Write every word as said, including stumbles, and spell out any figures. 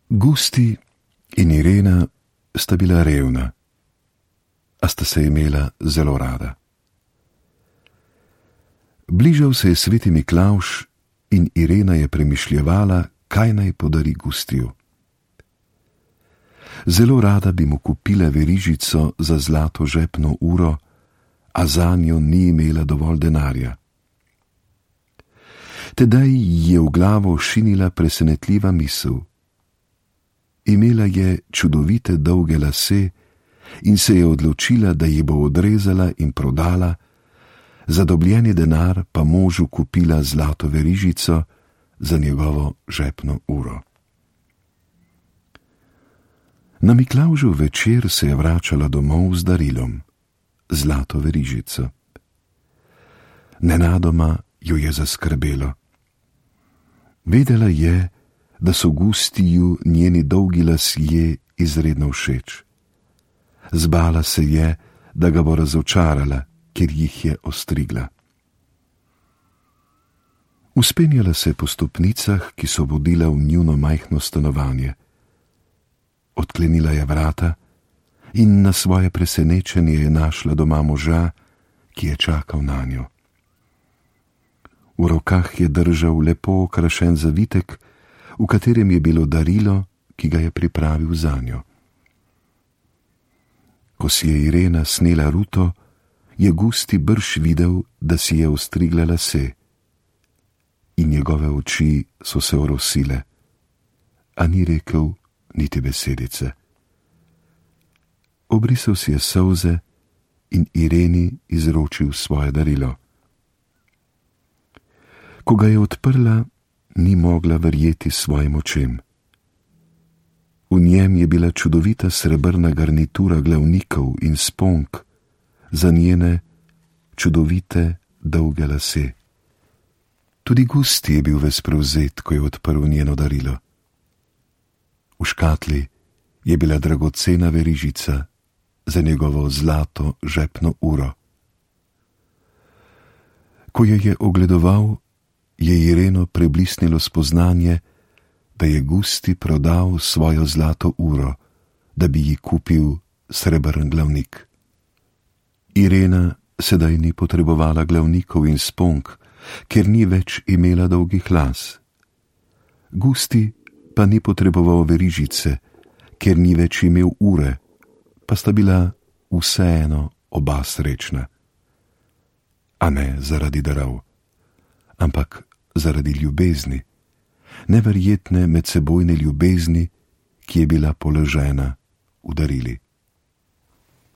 Gusti in Irena sta bila revna, a sta se imela zelo rada. Bližal se je sveti Miklavž in Irena je premišljevala, kaj naj podari Gustiju. Zelo rada bi mu kupila verižico za zlato žepno uro, a zanjo ni imela dovolj denarja. Tedaj ji je v glavo šinila presenetljiva misel. Imela je čudovite dolge lase in se je odločila, da ji bo odrezala in prodala, za dobljeni denar pa možu kupila zlato verižico za njegovo žepno uro. Na Miklavžev večer se je vračala domov z darilom, zlato verižico. Nenadoma jo je zaskrbelo. Vedela je, da so Gustiju njeni dolgi lasje izredno všeč. Zbala se je, da ga bo razočarala, ker jih je ostrigla. Vzpenjala se po stopnicah, ki so vodile v njuno majhno stanovanje. Odklenila je vrata in na svoje presenečenje je našla doma moža, ki je čakal nanjo. V rokah je držal lepo okrašen zavitek, v katerem je bilo darilo, ki ga je pripravil zanjo. Ko si je Irena snela ruto, je Gusti brž videl, da si je ostrigla lase, in njegove oči so se orosile, a ni rekel niti besedice. Obrisal si je solze in Ireni izročil svoje darilo. Ko ga je odprla, ni mogla verjeti svojim očem. V njem je bila čudovita srebrna garnitura glavnikov in sponk za njene čudovite dolge lase. Tudi Gusti je bil ves prevzet, ko je odprl njeno darilo. V škatli je bila dragocena verižica za njegovo zlato žepno uro. Ko jo je ogledoval, je Ireno preblisnilo spoznanje, da je Gusti prodal svojo zlato uro, da bi ji kupil srebrn glavnik. Irena sedaj ni potrebovala glavnikov in sponk, ker ni več imela dolgih las. Gusti pa ni potreboval verižice, ker ni več imel ure, pa sta bila vseeno oba srečna. A ne zaradi darov, ampak zaradi ljubezni, neverjetne medsebojne ljubezni, ki je bila položena v darili.